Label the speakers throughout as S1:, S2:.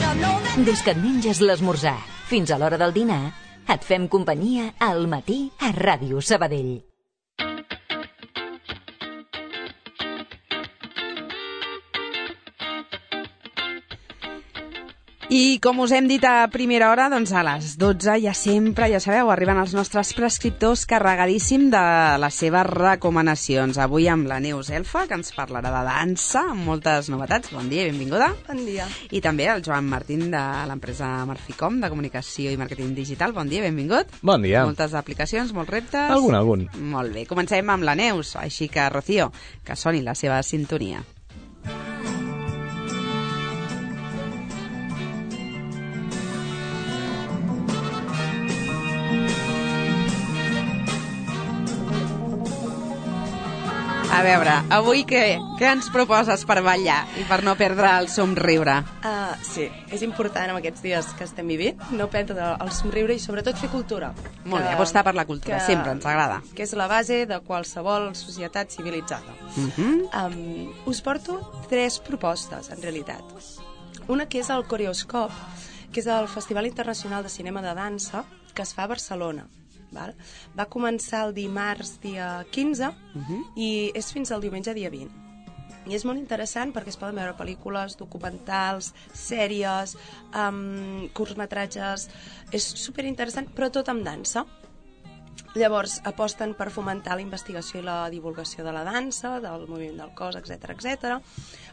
S1: Des que et menges l'esmorzar fins a l'hora del dinar, et fem companyia al matí a Ràdio Sabadell.
S2: I com us hem dit a primera hora, doncs a les 12 ja sempre, ja sabeu, arriben els nostres prescriptors carregadíssim de les seves recomanacions. Avui amb la Neus Elfa, que ens parlarà de dansa, amb moltes novetats. Bon dia i benvinguda.
S3: Bon dia.
S2: I també el Joan Martín de l'empresa Marficom, de comunicació i màrqueting digital. Bon dia, benvingut.
S4: Bon dia.
S2: Moltes aplicacions, molts reptes.
S4: Algun.
S2: Molt bé, comencem amb la Neus, així que, Rocío, que soni la seva sintonia. A veure, avui què ens proposes per ballar i per no perdre el somriure?
S3: Sí, és important en aquests dies que estem vivint no perdre el somriure i sobretot fer cultura.
S2: Molt bé, apostar per la cultura, sempre ens agrada.
S3: Que és la base de qualsevol societat civilitzada. Us porto 3 propostes, en realitat. Una que és el Coreoscop, que és el Festival Internacional de Cinema de Dansa que es fa a Barcelona. Val? Va començar el dimarts dia 15 i és fins al diumenge dia 20. I és molt interessant perquè es poden veure pel·lícules, documentals, sèries, curtmetratges. És superinteressant, però tot amb dansa. Llavors aposten per fomentar la investigació i la divulgació de la dansa, del moviment del cos, etc,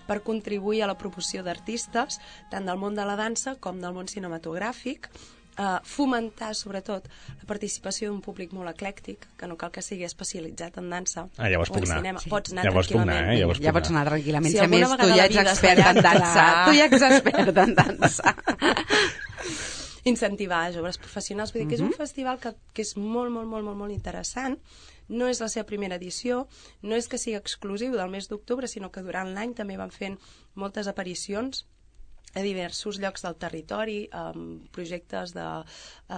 S3: per contribuir a la promoció d'artistes tant del món de la dansa com del món cinematogràfic, fomentar sobretot la participació d'un públic molt eclèctic, que no cal que sigui especialitzat en dansa
S4: llavors
S3: o en cinema. Pots anar tranquil·lament.
S2: Ja pots anar tranquil·lament.
S3: Si
S2: a més, tu ja ets expert en dansa. Tu ja ets expert en dansa.
S3: Incentivar joves professionals. Vull dir que és un festival que és molt interessant. No és la seva primera edició, no és que sigui exclusiu del mes d'octubre, sinó que durant l'any també van fent moltes aparicions a diversos llocs del territori, projectes de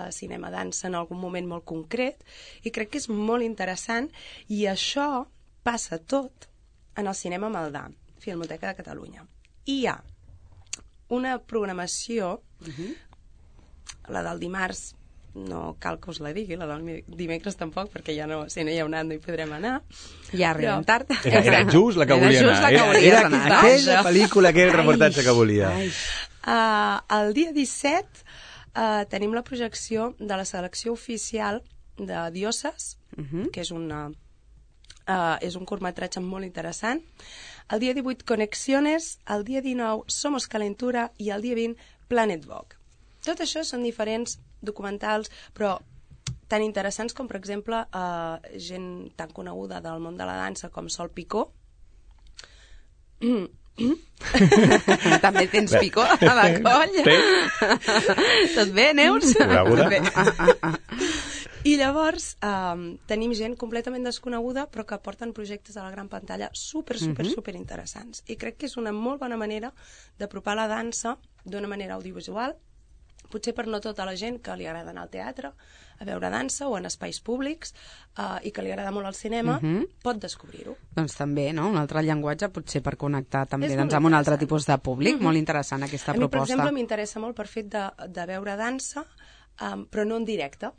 S3: cinema-dansa en algun moment molt concret, i crec que és molt interessant, i això passa tot en el Cinema Maldà, Filmoteca de Catalunya. I hi ha una programació, la del dimarts, no cal que us la digui, la del dimecres tampoc, perquè ja no, si no hi ha un any no hi podrem anar.
S2: Ja arribem tard.
S4: Era just la que volia anar. Era aquella pel·lícula, aquell reportatge que volia.
S3: El dia 17 tenim la projecció de la selecció oficial de Dioses, que és un curtmetratge molt interessant. El dia 18, Conexiones. El dia 19, Somos Calentura. I el dia 20, Planet Vogue. Tot això són diferents documentals, però tan interessants com, per exemple, gent tan coneguda del món de la dansa com Sol Picó.
S2: També tens picó a la colla. Tot bé, Neus?
S4: Bé.
S3: I llavors tenim gent completament desconeguda però que porten projectes a la gran pantalla super interessants. I crec que és una molt bona manera d'apropar la dansa d'una manera audiovisual, potser per no tota la gent que li agrada anar al teatre a veure dansa o en espais públics i que li agrada molt el cinema, pot descobrir-ho.
S2: Doncs també, no? Un altre llenguatge potser per connectar també amb un altre tipus de públic. Molt interessant aquesta proposta.
S3: A mi, per exemple, m'interessa molt per fet de veure dansa, però no en directe,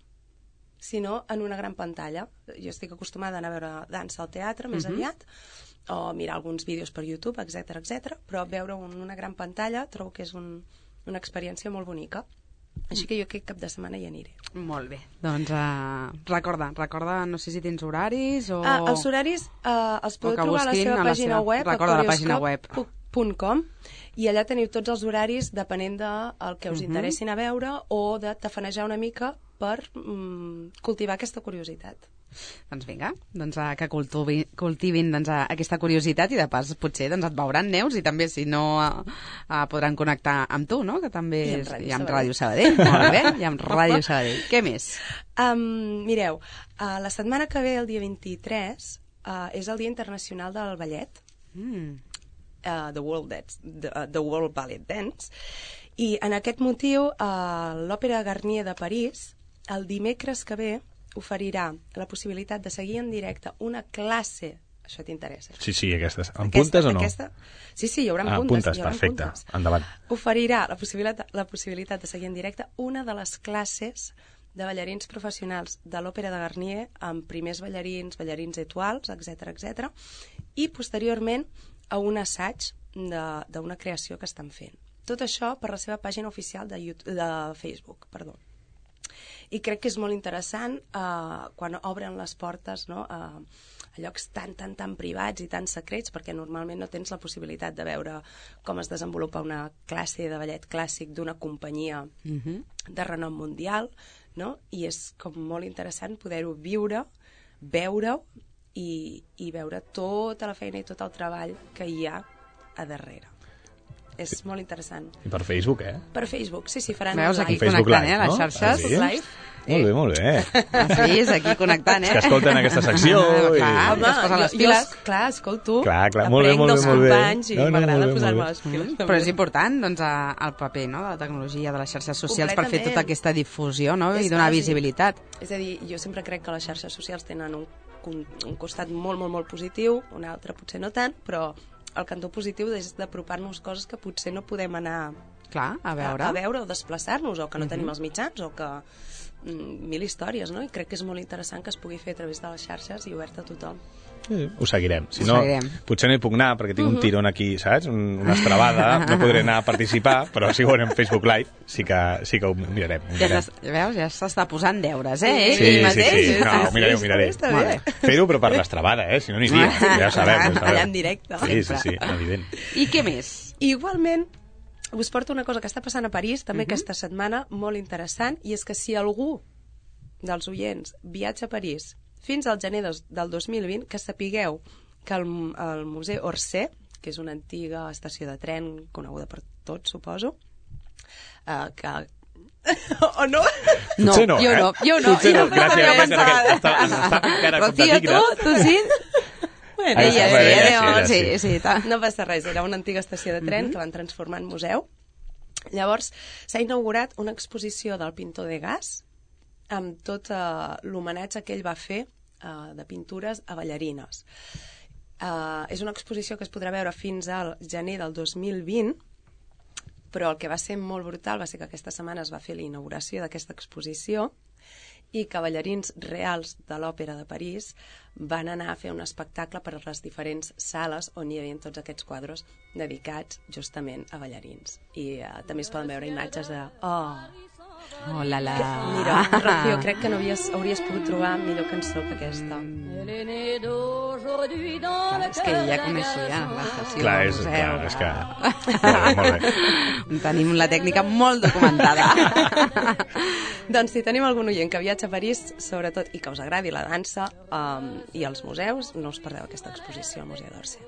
S3: sinó en una gran pantalla. Jo estic acostumada a anar a veure dansa al teatre més aviat, o mirar alguns vídeos per YouTube, etc, però veure en una gran pantalla trobo que és una experiència molt bonica. Així que jo aquest cap de setmana hi aniré.
S2: Molt bé. Doncs recorda, no sé si tens horaris o...
S3: Els horaris els podeu trobar a la seva pàgina web, coreoscop.com, i allà teniu tots els horaris depenent del que us interessin a veure o de tafanejar una mica per cultivar aquesta curiositat.
S2: Doncs vinga, que cultivin aquesta curiositat i de pas potser et veuran, Neus, i també si no podran connectar amb tu, no? Que també hi ha amb Ràdio Sabadell. Molt bé, hi ha amb Ràdio Sabadell. Què més?
S3: Mireu, la setmana que ve, el dia 23, és el Dia Internacional del Ballet, The World Ballet Dance, i en aquest motiu l'Òpera Garnier de París el dimecres que ve oferirà la possibilitat de seguir en directe una classe això t'interessa.
S4: Sí, aquestes. En puntes o no?
S3: Sí, hi haurà puntes.
S4: Puntes, perfecte. Endavant.
S3: Oferirà la possibilitat de seguir en directe una de les classes de ballarins professionals de l'Òpera de Garnier amb primers ballarins étoiles, etc, i posteriorment a un assaig d'una creació que estan fent. Tot això per la seva pàgina oficial de Facebook, perdó. I crec que és molt interessant quan obren les portes, no, a llocs tan privats i tan secrets, perquè normalment no tens la possibilitat de veure com es desenvolupa una classe de ballet clàssic d'una companyia de renom mundial, no? I és com molt interessant poder-ho viure, veure-ho i veure tota la feina i tot el treball que hi ha a darrere. És molt interessant.
S4: I per Facebook,
S3: Per Facebook, sí, faran
S2: veus, aquí
S4: Facebook
S2: connectant,
S4: Live,
S2: les xarxes.
S4: Sí?
S3: Live.
S4: Molt bé.
S2: Sí, és aquí connectant,
S4: És que escolten aquesta secció.
S3: Home,
S2: es posen les piles.
S3: Clar, escolto.
S4: Clar, molt bé.
S3: Dels companys i m'agrada posar-me les piles.
S2: Però és important, doncs, el paper, no?, de la tecnologia, de les xarxes socials per fer tota aquesta difusió, no?, i donar visibilitat.
S3: És a dir, jo sempre crec que les xarxes socials tenen un costat molt positiu, un altre potser no tant, però el cantó positiu és d'apropar-nos coses que potser no podem anar
S2: a veure
S3: o desplaçar-nos, o que no tenim els mitjans, o que mil històries, no? I crec que és molt interessant que es pugui fer a través de les xarxes i obert a tothom.
S4: Ho seguirem. Si no, potser no hi puc anar perquè tinc un tirón aquí, saps? Una estrabada, no podré anar a participar, però si ho veurem Facebook Live sí que ho mirarem.
S2: Veus, ja s'està posant deures,
S4: Sí. No, ho miraré. Fer-ho, però per l'estrabada, si no aniria. Ja ho sabem.
S3: Allà en directe.
S4: Sí, evident.
S2: I què més?
S3: Igualment, us porto una cosa que està passant a París, també aquesta setmana, molt interessant, i és que si algú dels oients viatja a París fins al gener del 2020, que sapigueu que el Museu Orsay, que és una antiga estació de tren coneguda per tots, suposo, que... o no?
S4: Potser no,
S2: Jo no.
S4: Gràcies, està encara com de tigre.
S2: Rocío, tu sí?
S3: Bueno,
S2: sí.
S3: No passa res, era una antiga estació de tren que van transformar en museu. Llavors, s'ha inaugurat una exposició del pintor Degas amb tot l'homenatge que ell va fer de pintures a ballarines. És una exposició que es podrà veure fins al gener del 2020, però el que va ser molt brutal va ser que aquesta setmana es va fer la inauguració d'aquesta exposició i que ballarins reals de l'Òpera de París van anar a fer un espectacle per a les diferents sales on hi havia tots aquests quadres dedicats justament a ballarins. I també es poden veure imatges de...
S2: Oh, la.
S3: Mira, Rocío, crec que no hauries pogut trobar millor cançó que aquesta.
S2: És que ja coneixia l'estació.
S4: Clar, és que... Molt bé.
S2: Tenim la tècnica molt documentada.
S3: Doncs si tenim algun oient que viatja a París, sobretot, i que us agradi la dansa i els museus, no us perdeu aquesta exposició al Museu d'Orsay.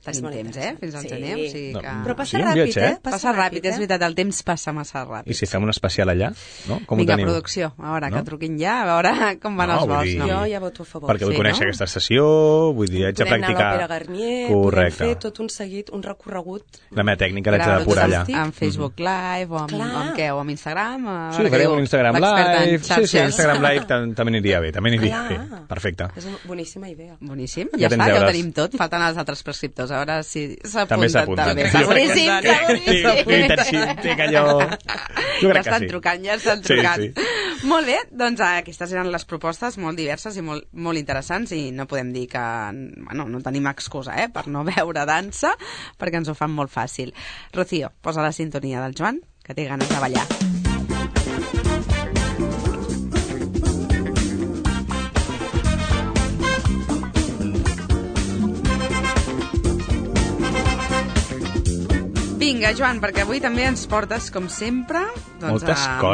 S2: Tenim temps, fins al gener, o sigui que...
S3: Però passa ràpid,
S2: Passa ràpid, és veritat, el temps passa massa ràpid.
S4: I si fem un especial allà, no? Com
S2: Vinga,
S4: ho tenim?
S2: producció, a veure, que truquin ja, a veure com van els vols.
S3: Jo ja voto a favor.
S4: Perquè vull conèixer aquesta estació, vull dir, haig de practicar...
S3: Podem anar a l'Òpera Garnier, podem fer tot un seguit, un recorregut...
S4: La meva tècnica l'haig de depurar allà.
S2: En Facebook Live, o amb què? O amb Instagram?
S4: Sí, farem un Instagram Live. Sí, Instagram Live també aniria bé, perfecte.
S3: És una boníssima idea.
S2: Boníssim, ja està, ja ho tenim tot, falten els altres prescriptors, a veure si
S4: també s'apunten.
S2: Boníssim.
S4: Tinc allò... Jo crec que sí.
S2: Ja estan trucant. Molt bé, doncs aquestes eren les propostes molt diverses i molt interessants i no podem dir que... Bueno, no tenim excusa, per no veure dansa, perquè ens ho fan molt fàcil. Rocío, posa la sintonia del Joan, que té ganes de ballar. Vinga, Joan, perquè avui també ens portes, com sempre, doncs,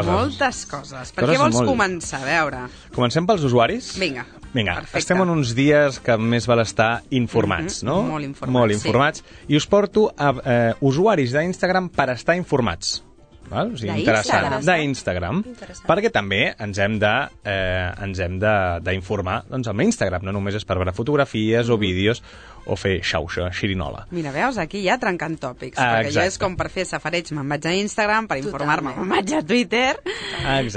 S2: moltes coses. Per què vols començar? A veure.
S4: Comencem pels usuaris?
S2: Vinga, perfecte.
S4: Estem en uns dies que més val estar informats, no?
S2: Molt informats,
S4: molt informats. I us porto a usuaris d'Instagram per estar informats. Val? O sigui, interessant. D'Instagram. Perquè també ens hem d'informar doncs, amb Instagram. No només és per veure fotografies o vídeos o fer xauxa, xirinola.
S2: Mira, veus, aquí ja trencant tòpics, perquè jo és com per fer safareig me'n vaig a Instagram, per informar-me me'n vaig a Twitter,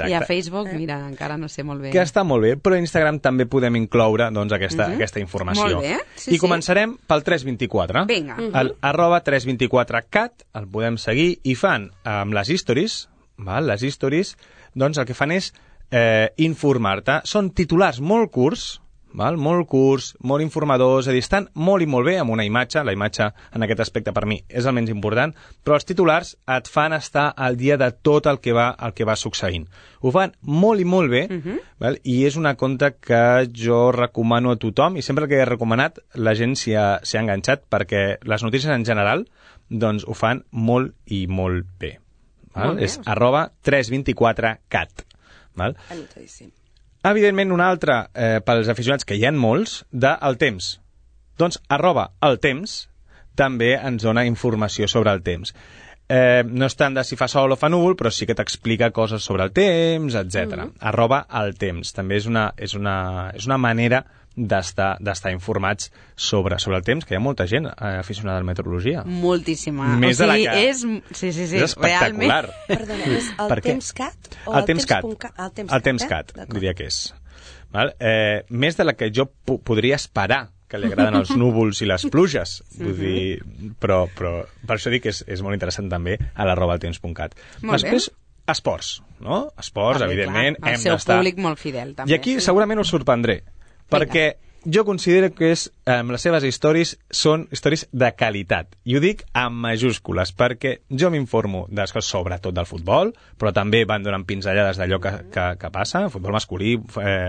S2: i a Facebook, mira, encara no sé molt bé.
S4: Que està molt bé, però a Instagram també podem incloure doncs, aquesta informació.
S2: Molt bé,
S4: I començarem pel 324.
S2: Vinga.
S4: El @324cat, el podem seguir, i fan amb les stories, les stories, doncs el que fan és informar-te. Són titulars molt curts, molt curts, molt informadors, és a dir, estan molt i molt bé amb una imatge, la imatge en aquest aspecte per mi és el menys important, però els titulars et fan estar al dia de tot el que va succeint. Ho fan molt i molt bé, i és una compte que jo recomano a tothom, i sempre que he recomanat la gent s'hi ha enganxat, perquè les notícies en general doncs ho fan molt i molt bé. És @324cat.
S3: Anotadíssim.
S4: Evidentment, un altre, pels aficionats, que hi ha molts, del temps. Doncs, @eltemps també ens dona informació sobre el temps. No és tant de si fa sol o fa núvol, però sí que t'explica coses sobre el temps, etc. @eltemps. També és una manera d'estar informats sobre el temps, que hi ha molta gent aficionada a la meteorologia.
S2: Moltíssima.
S4: Més de la que...
S2: Sí,
S4: és espectacular.
S3: Perdona, és el TemsCat?
S4: El TemsCat, diria que és. Més de la que jo podria esperar, que li agraden els núvols i les pluges. Vull dir, però per això dic que és molt interessant també a @eltemps.cat. Després, esports, no? Esports, evidentment, hem d'estar...
S2: El seu públic molt fidel, també.
S4: I aquí segurament us sorprendré, perquè jo considero que les seves històries són històries de qualitat. I ho dic amb majúscules, perquè jo m'informo de coses sobretot del futbol, però també van donant pinzellades d'allò que passa, futbol masculí,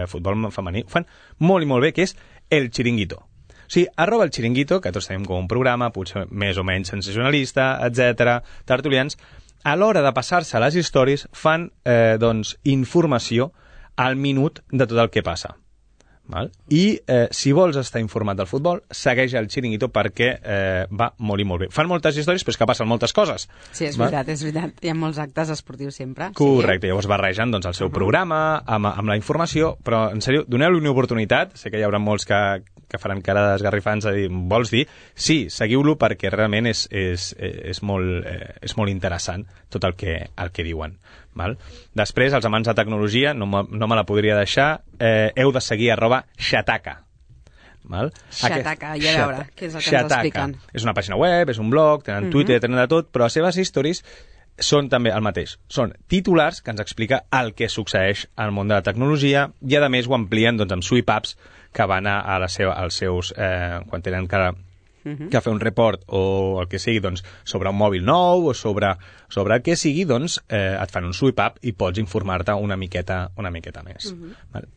S4: futbol femení, ho fan molt i molt bé, que és El Chiringuito. O sigui, @el Chiringuito, que tots tenim com un programa, potser més o menys sensacionalista, etc., tertulians, a l'hora de passar-se les històries fan informació al minut de tot el que passa. I si vols estar informat del futbol, segueix el Chiringuito perquè va molt i molt bé. Fan moltes històries, però és que passen moltes coses.
S2: Sí, és veritat. Hi ha molts actes esportius sempre.
S4: Correcte, llavors barregen el seu programa amb la informació, però en sèrio, doneu-li una oportunitat. Sé que hi haurà molts que faran cara d'esgarrifants a dir, vols dir? Sí, seguiu-lo perquè realment és molt interessant tot el que diuen. Després, els amants de tecnologia, no me la podria deixar, heu de seguir @Shataka.
S2: Shataka, ja a veure, què és el que ens expliquen.
S4: És una pàgina web, és un blog, tenen Twitter, tenen de tot, però les seves històries són també el mateix. Són titulars que ens explica el que succeeix al món de la tecnologia i, a més, ho amplien amb sweep-ups que van als seus... quan tenen que fer un report o el que sigui sobre un mòbil nou o sobre el que sigui, et fan un sweep-up i pots informar-te una miqueta més.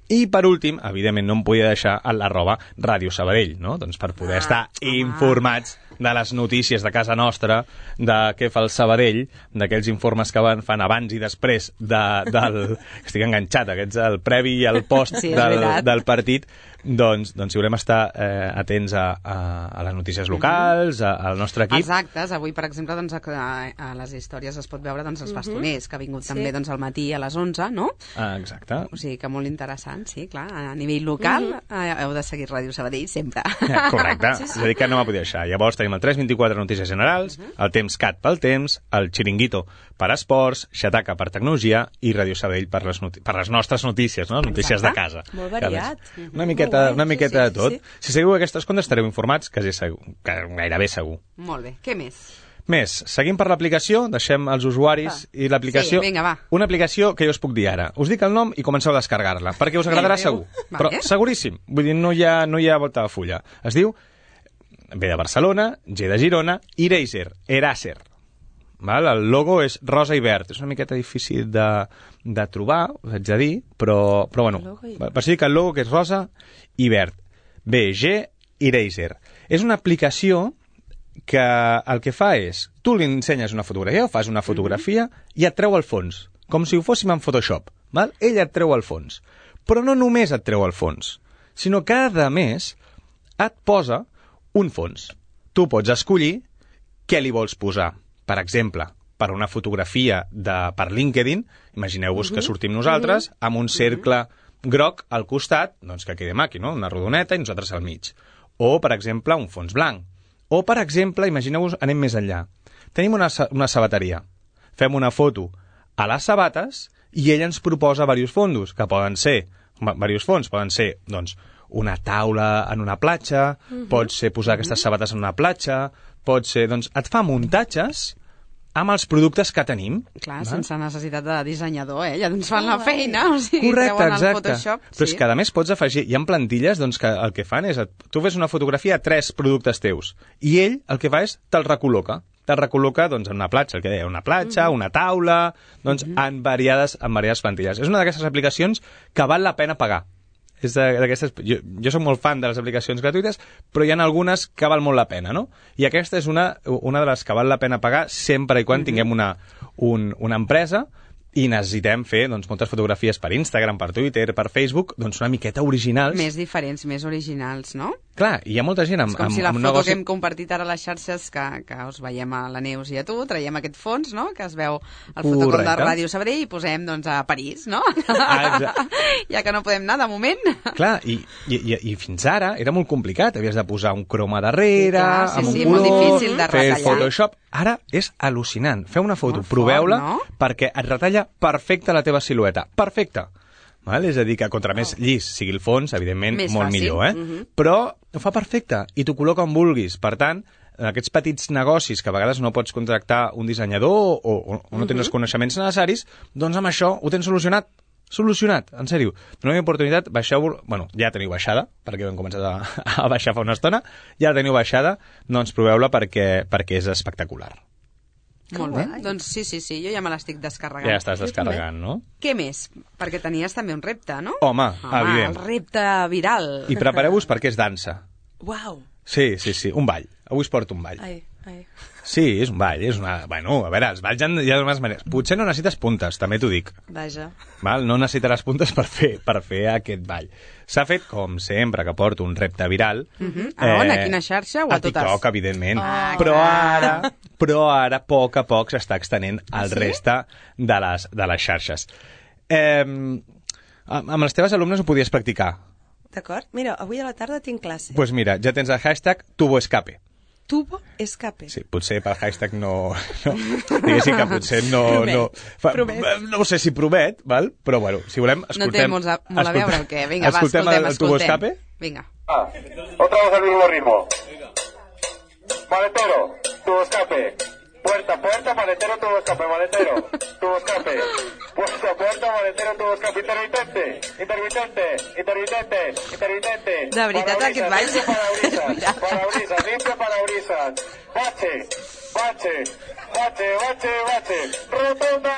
S4: I per últim, evidentment no em podia deixar @Ràdio Sabadell, no? Per poder estar informats de les notícies de casa nostra, de què fa el Sabadell, d'aquells informes que fan abans i després estic enganxat, aquests el previ i el post del partit. Doncs si volem estar atents a les notícies locals, al nostre equip.
S2: Exacte, avui per exemple a les històries es pot veure els bastoners, que ha vingut també al matí a les 11, no?
S4: Exacte.
S2: O sigui que molt interessant, sí, clar, a nivell local heu de seguir Ràdio Sabadell sempre.
S4: Correcte, és a dir que no m'ha podia deixar. Llavors tenim el 324 Notícies Generals, el TemsCat pel temps, el Chiringuito per esports, Shataka per tecnologia i Ràdio Sabadell per les nostres notícies, no? Notícies de casa.
S3: Molt variat.
S4: Una miqueta de tot. Si seguiu aquestes comptes estareu informats, gairebé segur.
S2: Molt bé. Què més?
S4: Seguim per l'aplicació, deixem els usuaris i l'aplicació.
S2: Sí, vinga, va.
S4: Una aplicació que jo us puc dir ara. Us dic el nom i comenceu a descarregar-la, perquè us agradarà segur. Però seguríssim, vull dir, no hi ha volta de fulla. Es diu B de Barcelona, G de Girona, Eraser. El logo és rosa i verd. És una miqueta difícil de trobar, us haig de dir, però bueno, per dir que el logo que és rosa i verd. BG Eraser. És una aplicació que el que fa és, tu li ensenyes una fotografia o fas una fotografia i et treu el fons, com si ho fóssim en Photoshop. Ell et treu el fons. Però no només et treu el fons, sinó que, a més, et posa un fons. Tu pots escollir què li vols posar. Per exemple, per una fotografia per LinkedIn, imagineu-vos que sortim nosaltres amb un cercle groc al costat, doncs que quedi maco, no? Una rodoneta i nosaltres al mig. o, per exemple, un fons blanc. O, per exemple, imagineu-vos, anem més enllà. Tenim una sabateria. Fem una foto a les sabates i ell ens proposa diversos fondos, que poden ser, diversos fons, poden ser, doncs, una taula en una platja, pot ser posar aquestes sabates en una platja, pot ser, doncs, et fa muntatges amb els productes que tenim.
S2: Clar, sense necessitat de dissenyador, ja ens fan la feina, o sigui,
S4: correcte,
S2: treuen el
S4: exacte.
S2: Photoshop.
S4: Però és que a més pots afegir, hi ha plantilles doncs, que el que fan és, tu fes una fotografia a 3 productes teus, i ell el que fa és te'l recol·loca doncs, en una platja, el que deia, una platja, una taula, doncs, en variades plantilles. És una d'aquestes aplicacions que val la pena pagar. És jo soc molt fan de les aplicacions gratuïtes, però hi ha algunes que val molt la pena, no? I aquesta és una de les que val la pena pagar sempre i quan tinguem una empresa i necessitem fer doncs, moltes fotografies per Instagram, per Twitter, per Facebook, doncs una miqueta originals.
S2: Més diferents, més originals, no?
S4: Clar, hi ha molta gent amb...
S2: És com si la foto
S4: negoci...
S2: que hem compartit ara a les xarxes, que us veiem a la Neus i a tu, traiem aquest fons, no?, que es veu al fotocol de Ràdio Sabadell i posem, doncs, a París, no? Ja que no podem anar, de moment.
S4: Clar, i fins ara era molt complicat, havies de posar un croma darrere, amb un color,
S2: molt difícil de
S4: fer
S2: retallar.
S4: Photoshop. Ara és al·lucinant. Feu una foto, proveu-la, no? Perquè et retalla perfecte la teva silueta. Perfecte. Val? És a dir, que contra més llis sigui el fons, evidentment, més molt fàcil. Millor. Però ho fa perfecte i t'ho col·loca on vulguis. Per tant, aquests petits negocis que a vegades no pots contractar un dissenyador o no tens els coneixements necessaris, doncs amb això ho tens solucionat. Solucionat, en sèrio. Doneu oportunitat, baixeu... Bueno, ja teniu baixada, perquè hem començat a baixar fa una estona. Ja la teniu baixada, doncs proveu-la perquè és espectacular.
S2: Molt bé, doncs sí, jo ja me l'estic descarregant.
S4: Ja estàs descarregant, no?
S2: Què més? Perquè tenies també un repte, no?
S4: Home, evident.
S2: El repte viral.
S4: I prepareu-vos perquè és dansa.
S3: Uau!
S4: Sí, un ball. Avui es porta un ball.
S3: Ai.
S4: Sí, és un ball, és una... Bueno, a veure, els balls hi ha d'unes maneres. Potser no necessites puntes, també t'ho dic.
S3: Vaja.
S4: Val? No necessitaràs puntes per fer aquest ball. S'ha fet, com sempre, que porto un repte viral.
S2: A on? A quina xarxa o a totes?
S4: A TikTok, evidentment. Però ara, a poc s'està extenent al resta de les xarxes. Amb les teves alumnes ho podies practicar.
S3: D'acord. Mira, avui a la tarda tinc classe.
S4: Doncs mira, ja tens el hashtag TuboEscape.
S3: Tubo escape.
S4: Sí, potser per hashtag no diguéssim que potser no...
S3: Promet.
S4: No sé si promet, val? Però bueno, si volem, escoltem...
S2: No té molt a veure el que... Vinga, va, escoltem.
S4: El tubo escape?
S2: Vinga.
S5: Otra vez al mismo ritmo. Maletero, tubo escape. Puerta, maletero, tubo escape, maletero, tubo escape. Puerta, maletero, tubo escape. Intermitente.
S2: De veritat, aquest ball...
S5: Parabrisas, limpia parabrisas. Bache. Rotonda,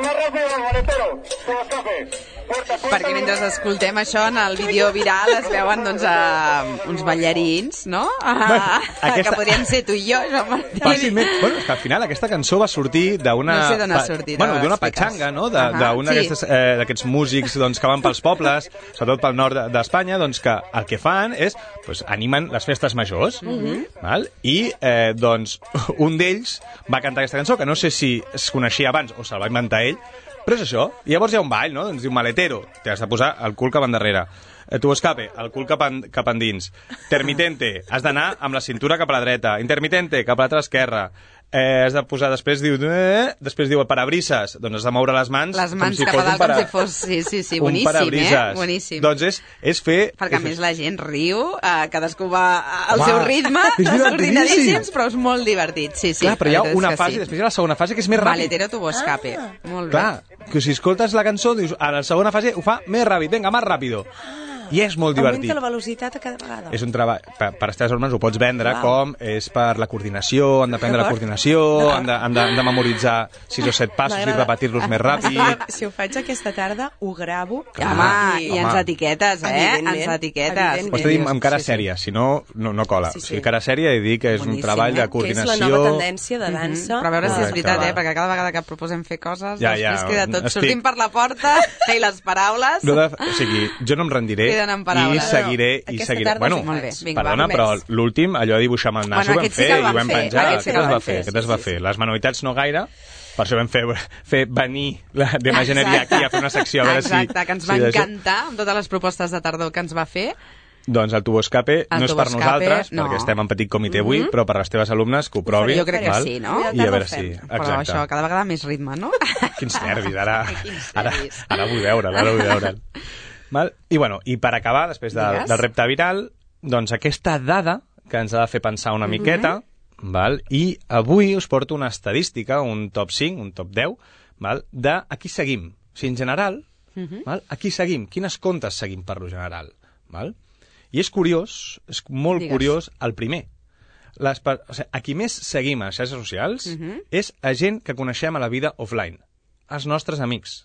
S5: más rápido, maletero, tubo escape.
S2: Perquè mentre escoltem això en el vídeo viral es veuen doncs uns ballarins, no? Que podrien ser tu i jo.
S4: Fàcilment. Bueno, és que al final aquesta cançó va sortir d'una...
S2: No sé d'on ha sortit.
S4: Bueno, d'una patxanga, no? D'un d'aquests músics doncs, que van pels pobles, sobretot pel nord d'Espanya, doncs que el que fan és animen les festes majors. Val? I doncs un d'ells va cantar aquesta cançó, que no sé si es coneixia abans o se'l va inventar ell, però és això. I llavors hi ha un ball, no? Doncs diu maletero, t'has de posar el cul cap endarrere. Tu escape, el cul cap endins. Termitente, has d'anar amb la cintura cap a la dreta. Intermitente, cap a l'altra esquerra. Has de posar, després diu el parabrises, doncs has de moure les mans
S2: com si cap a dalt, com si fos, sí, boníssim, boníssim.
S4: Doncs és fer...
S2: Perquè a més la gent riu, cadascú va al seu ritme, desordinadíssims, però és molt divertit, sí.
S4: Clar, però hi ha una fase, després hi ha la segona fase, que és més ràpid.
S2: Maletero tubo escape, molt bé.
S4: Clar, que si escoltes la cançó, dius, a la segona fase ho fa més ràpid, vinga, més ràpido. I és molt divertit.
S3: Augmenta la velocitat a cada vegada.
S4: És un treball, per les teves alumnes ho pots vendre com és per la coordinació, han d'aprendre la coordinació, han de memoritzar 6 o 7 passos i repetir-los més ràpid.
S3: Si ho faig aquesta tarda, ho gravo.
S2: Home, i ens etiquetes, ens etiquetes.
S4: Ho estic dient amb cara sèria, si no, no cola. O sigui, cara sèria i dir que és un treball de coordinació.
S3: Que és la nova tendència de dansa.
S2: Però a veure si és veritat, perquè cada vegada que proposem fer coses, després queda tot sortint per la porta i les paraules...
S4: O sigui, jo no em rendiré i seguiré. Bueno, perdona, però l'últim, allò de dibuixar amb el nas, ho vam fer i ho vam penjar. Aquest es va fer. Les manualitats no gaire, per això vam fer venir d'imagineria aquí a fer una secció.
S2: Exacte, que ens va encantar amb totes les propostes de tardor que ens va fer.
S4: Doncs el Tuboscape no és per
S2: Tuboscape,
S4: nosaltres,
S2: no.
S4: perquè estem en petit comitè avui, però per les teves alumnes que ho provin.
S2: Jo crec que
S4: val?
S2: sí, no?
S4: I a veure si...
S2: Però
S4: Exacte.
S2: això, cada vegada més ritme, no?
S4: Quins nervis, ara
S2: nervis.
S4: vull veure'l. Val? I, bueno, i per acabar, després del repte viral, doncs aquesta dada que ens ha de fer pensar una miqueta, val? I avui us porto una estadística, un top 5, un top 10, val? De a qui seguim. O sigui, en general, val? A qui seguim? Quines comptes seguim per lo general? Val? I és curiós, és molt curiós, el primer. O sigui, a qui més seguim a les xarxes socials és a gent que coneixem a la vida offline, els nostres amics.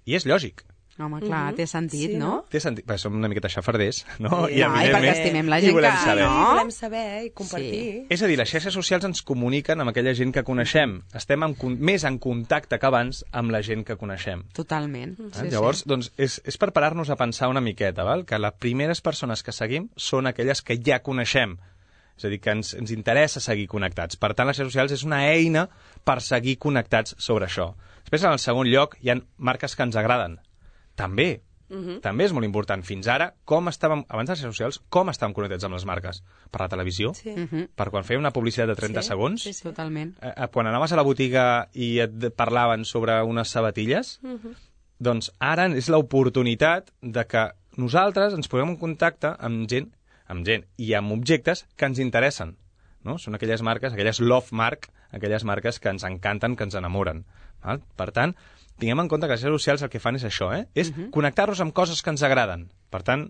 S4: I és lògic.
S2: Home, clar, té sentit,
S3: Sí,
S2: no?
S4: Té sentit, perquè som una miqueta xafarders, no?
S3: Sí.
S2: I perquè estimem la gent
S4: i volem
S2: que...
S4: saber.
S2: No?
S3: Volem saber i compartir.
S4: És a dir, les xarxes socials ens comuniquen amb aquella gent que coneixem. Estem més en contacte que abans amb la gent que coneixem.
S2: Totalment.
S4: Llavors, doncs, és per parar-nos a pensar una miqueta, val? Que les primeres persones que seguim són aquelles que ja coneixem. És a dir, que ens interessa seguir connectats. Per tant, les xarxes socials és una eina per seguir connectats sobre això. Després, en el segon lloc, hi ha marques que ens agraden. També. També és molt important. Fins ara, abans de les xarxes socials, com estàvem connectats amb les marques? Per la televisió?
S3: Sí.
S4: Per quan fèiem una publicitat de 30 segons?
S3: Sí, sí.
S2: Totalment.
S4: Quan anaves a la botiga i et parlaven sobre unes sabatilles, doncs ara és l'oportunitat de que nosaltres ens posem en contacte amb gent i amb objectes que ens interessen. No? Són aquelles marques, aquelles love mark, aquelles marques que ens encanten, que ens enamoren. Val? Per tant, tinguem en compte que les xarxes socials el que fan és això, és connectar-nos amb coses que ens agraden. Per tant,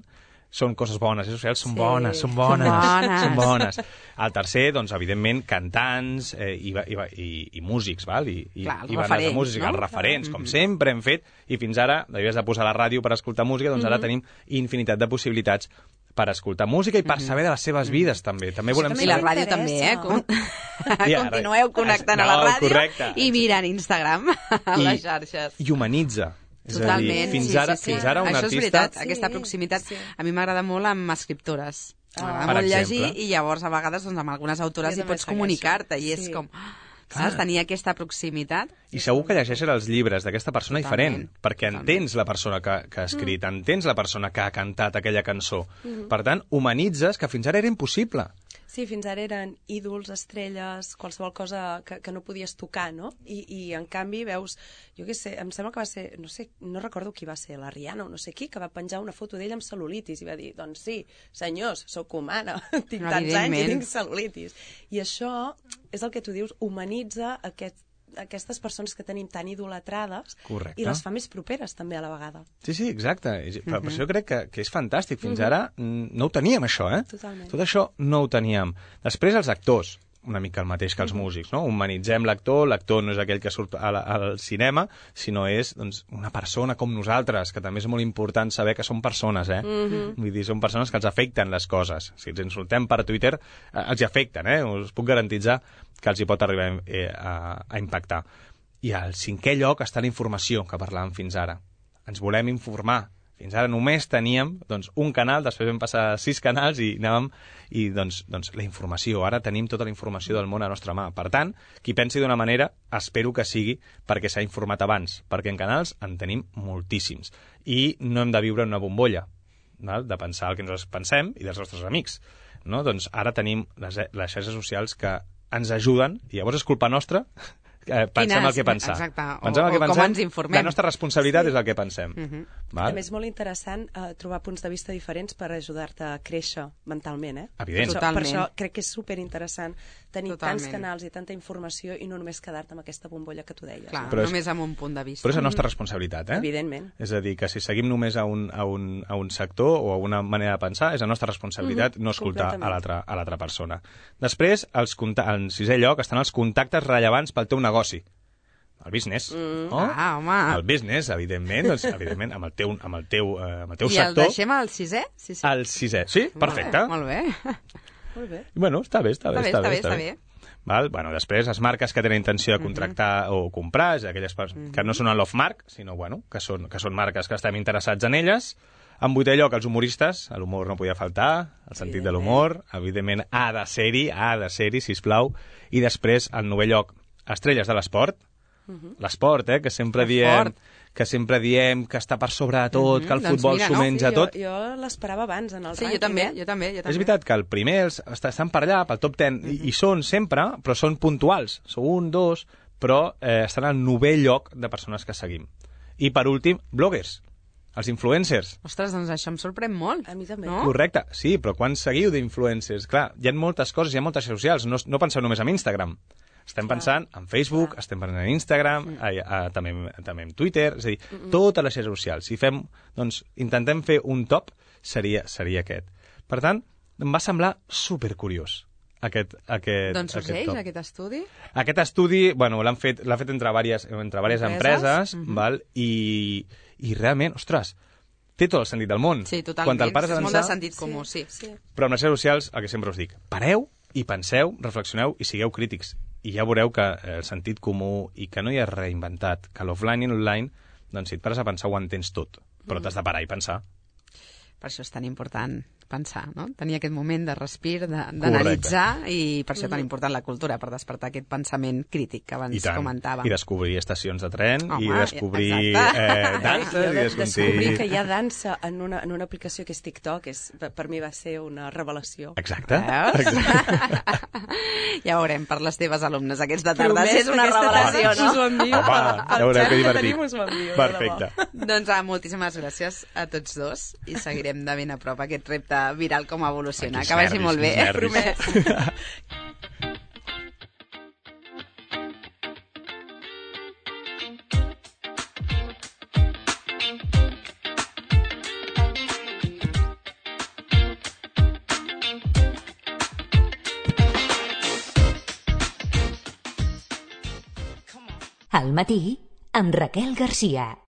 S4: són coses bones, les xarxes socials són bones, són bones. El tercer, doncs, evidentment, cantants i músics, val? I
S2: Clar, els
S4: bandes de
S2: referents,
S4: música,
S2: no?
S4: els referents, com sempre hem fet, i fins ara, havies de posar la ràdio per escoltar música, doncs ara tenim infinitat de possibilitats per escoltar música i per saber de les seves vides, també. També volem
S2: I la
S4: saber...
S2: ràdio també,
S3: m'interessa.
S2: Continueu connectant a la ràdio
S4: correcte.
S2: i mirant Instagram a les xarxes.
S4: I humanitza. És a dir,
S2: Totalment,
S4: fins ara un
S2: Això és
S4: artista...
S2: veritat, aquesta proximitat a mi m'agrada molt amb escriptores. M'agrada
S4: Per
S2: molt llegir
S4: exemple.
S2: i llavors a vegades doncs, amb algunes autores
S3: Jo
S2: hi
S3: també
S2: pots
S3: segueixo.
S2: comunicar-te i és
S3: Sí.
S2: com... Saps? Tenir aquesta proximitat.
S4: I segur que llegeixes els llibres d'aquesta persona
S2: Totalment.
S4: diferent, perquè entens la persona que ha escrit, entens la persona que ha cantat aquella cançó. Per tant, humanitzes que fins ara era impossible.
S3: Sí, fins ara eren ídols, estrelles, qualsevol cosa que no podies tocar, no? I en canvi veus, jo què sé, em sembla que va ser, no recordo qui va ser, la Rihanna o no sé qui, que va penjar una foto d'ella amb cel·lulitis i va dir, doncs sí, senyors, sóc humana, tinc tants anys i tinc cel·lulitis. I això és el que tu dius, humanitza aquestes persones que tenim tan idolatrades.
S4: Correcte.
S3: I les fa més properes també a la vegada.
S4: Sí, exacte. Per això crec que és fantàstic. Fins ara no ho teníem, això,
S3: Totalment.
S4: Tot això no ho teníem. Després, els actors, una mica el mateix que els músics, no? Humanitzem l'actor no és aquell que surt al cinema, sinó és doncs, una persona com nosaltres, que també és molt important saber que són persones, Vull dir, són persones que els afecten les coses. Si ens insultem per Twitter, els hi afecten, Us puc garantitzar que els hi pot arribar a impactar. I al cinquè lloc està la informació que parlàvem fins ara. Ens volem informar. Fins ara només teníem un canal, després vam passar a 6 canals i anàvem... I doncs la informació. Ara tenim tota la informació del món a la nostra mà. Per tant, qui pensi d'una manera, espero que sigui perquè s'ha informat abans, perquè en canals en tenim moltíssims. I no hem de viure en una bombolla, val? De pensar el que nosaltres pensem i dels nostres amics. No? Doncs ara tenim les xarxes socials que ens ajuden, i llavors és culpa nostra... pensem el que pensar.
S2: Exacte,
S4: pensem el que pensem,
S2: com ens informem.
S4: La nostra responsabilitat és el que pensem. Val?
S3: També és molt interessant trobar punts de vista diferents per ajudar-te a créixer mentalment,
S4: Evident.
S2: Totalment.
S3: Per això crec que és superinteressant tenir tants
S2: Totalment.
S3: canals i tanta informació i no només quedar-te amb aquesta bombolla que tu deies.
S2: Clar,
S4: Però és-
S2: només amb un punt de vista.
S4: Però és la nostra responsabilitat,
S3: Evidentment.
S4: És a dir, que si seguim només a un sector o a una manera de pensar, és la nostra responsabilitat no escoltar a l'altra persona. Després, en sisè lloc, estan els contactes rellevants pel teu negoci. El business.
S2: Home.
S4: El business, evidentment, evidentment, amb el teu
S2: I
S4: sector.
S2: el deixem al sisè? Sí.
S4: El sisè. Sí, perfecte.
S2: Molt bé.
S3: Molt bé.
S4: Bueno, està bé.
S2: Està bé.
S4: Val? Bueno, després, les marques que tenen intenció de contractar o comprar, és aquelles que no són el love mark, sinó que són marques que estem interessats en elles. En vuitè lloc, els humoristes. L'humor no podia faltar, el sentit de l'humor. Evidentment, ha de ser-hi, sisplau. I després, en novè lloc, estrelles de l'esport. L'esport, que sempre diem que sempre diem que està per sobre de tot, que el futbol s'ho menja tot.
S3: Jo l'esperava abans en el
S2: rànquing. Jo també.
S4: És veritat que el primer estan per allà, pel top 10, i són sempre, però són puntuals. Són 1, 2, però estan al 9è lloc de persones que seguim. I per últim, bloggers. Els influencers.
S2: Ostres, doncs això em sorprèn molt.
S3: A mi també.
S2: No?
S4: Correcte, sí, però quan seguiu d'influencers? Clar, hi ha moltes coses, hi ha moltes xarxes socials, no penseu només en Instagram. Estem pensant en Facebook, estem pensant en Instagram, també en Twitter, és a dir, totes les xarxes socials. Si fem, doncs, intentem fer un top, seria aquest. Per tant, em va semblar supercuriós aquest
S2: doncs sorgeix
S4: top.
S2: aquest estudi?
S4: Aquest estudi, bueno, l'han fet entre diverses empreses, val? I realment, ostres, té tot el sentit del món.
S2: Sí, totalment. És molt de sentit comú, sí.
S4: Però amb les xarxes socials, el que sempre us dic, pareu i penseu, reflexioneu i sigueu crítics. I ja veureu que el sentit comú i que no hi ha reinventat, que l'offline i l'online, doncs si et pares a pensar ho entens tot, però t'has de parar i pensar.
S2: Per això és tan important pensar, no? Tenir aquest moment de respir, d'analitzar, i per això tan important la cultura, per despertar aquest pensament crític que abans comentàvem.
S4: I descobrir estacions de tren, i descobrir danses, i
S3: descobrir que hi ha dansa en una aplicació que és TikTok, per mi va ser una revelació.
S4: Exacte.
S2: Ja veurem per les teves alumnes aquests de tarda, si és una revelació, no?
S3: Us ho envio.
S4: Home, ja veureu que divertit. Perfecte.
S2: Doncs moltíssimes gràcies a tots dos i seguirem de ben a prop aquest repte viral com evoluciona. Que vagi molt bé.
S4: Promès.
S1: Al matí, amb Raquel Garcia.